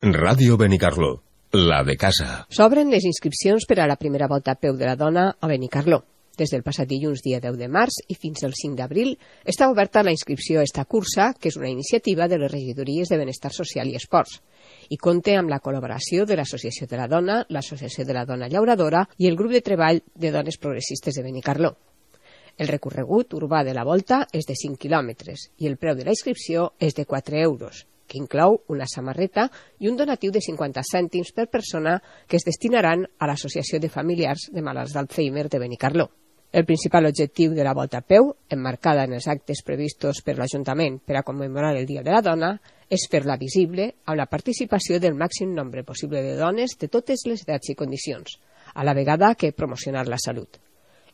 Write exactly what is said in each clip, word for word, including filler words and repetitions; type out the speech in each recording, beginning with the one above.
Ràdio Benicarló, la de casa. S'obren les inscripcions per a la primera volta a peu de la dona a Benicarló. Des del passat dilluns dia deu de març i fins al cinc d'abril està oberta la inscripció a esta cursa, que és una iniciativa de les regidories de Benestar Social i Esports, i compta amb la col·laboració de l'Associació de la Dona, l'Associació de la Dona Llauradora i el grup de treball de dones progressistes de Benicarló. El recorregut urbà de la volta és de cinc quilòmetres i el preu de la inscripció és de quatre euros, que inclou una samarreta i un donatiu de cinquanta cèntims per persona que es destinaran a l'Associació de Familiars de Malalts d'Alzheimer de Benicarló. El principal objectiu de la volta a peu, emmarcada en els actes previstos per l'Ajuntament per a commemorar el Dia de la Dona, és fer-la visible amb la participació del màxim nombre possible de dones de totes les edats i condicions, a la vegada que promocionar la salut.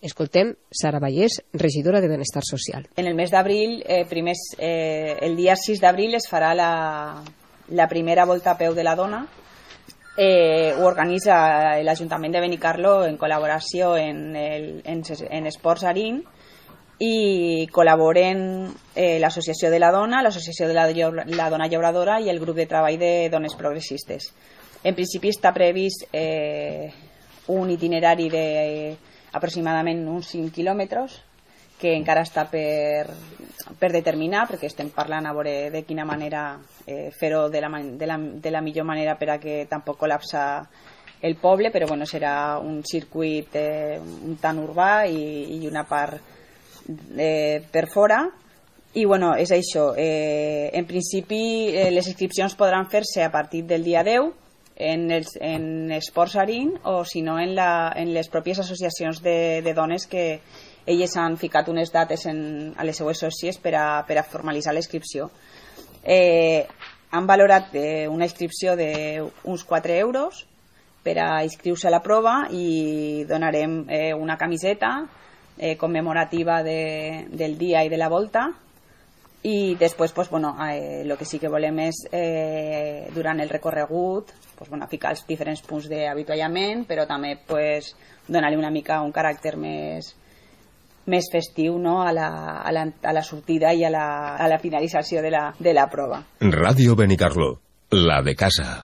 Escoltem Sara Vallès, regidora de Benestar Social. En el mes d'abril, eh, primers, eh, el dia sis d'abril es farà la, la primera volta a peu de la dona. Eh, ho organitza l'Ajuntament de Benicarló en col·laboració en, el, en, en Esports Arín i col·laboren eh, l'Associació de la Dona, l'Associació de la, la Dona Llauradora i el grup de treball de dones progressistes. En principi està previst eh, un itinerari de eh, aproximadament uns cinc quilòmetres que encara està per, per determinar, perquè estem parlant a veure de quina manera eh, fer-ho de, la, de, la, de la millor manera per a que tampoc col·lapsa el poble, però bueno, serà un circuit eh, un tant urbà i, i una part eh, per fora. I bueno, és això. Eh, en principi eh, les inscripcions podran fer-se a partir del dia deu en, els, en Esports Arín o si no en, la, en les pròpies associacions de, de dones que elles han ficat unes dates en, a les seues sòcies per a, per a formalitzar la inscripció. Eh, han valorat eh, una inscripció d'uns quatre euros per a inscriure-se a la prova i donarem eh, una camiseta eh, commemorativa de, del dia i de la volta. I després, pues, bueno, eh, el que sí que volem és, eh, durant el recorregut, pues, bueno, ficar els diferents punts d'avituallament, però també pues, donar-li una mica un caràcter més, més festiu, no? a, la, a, la, a la sortida i a la, a la finalització de la, de la prova. Ràdio Benicarló, la de casa.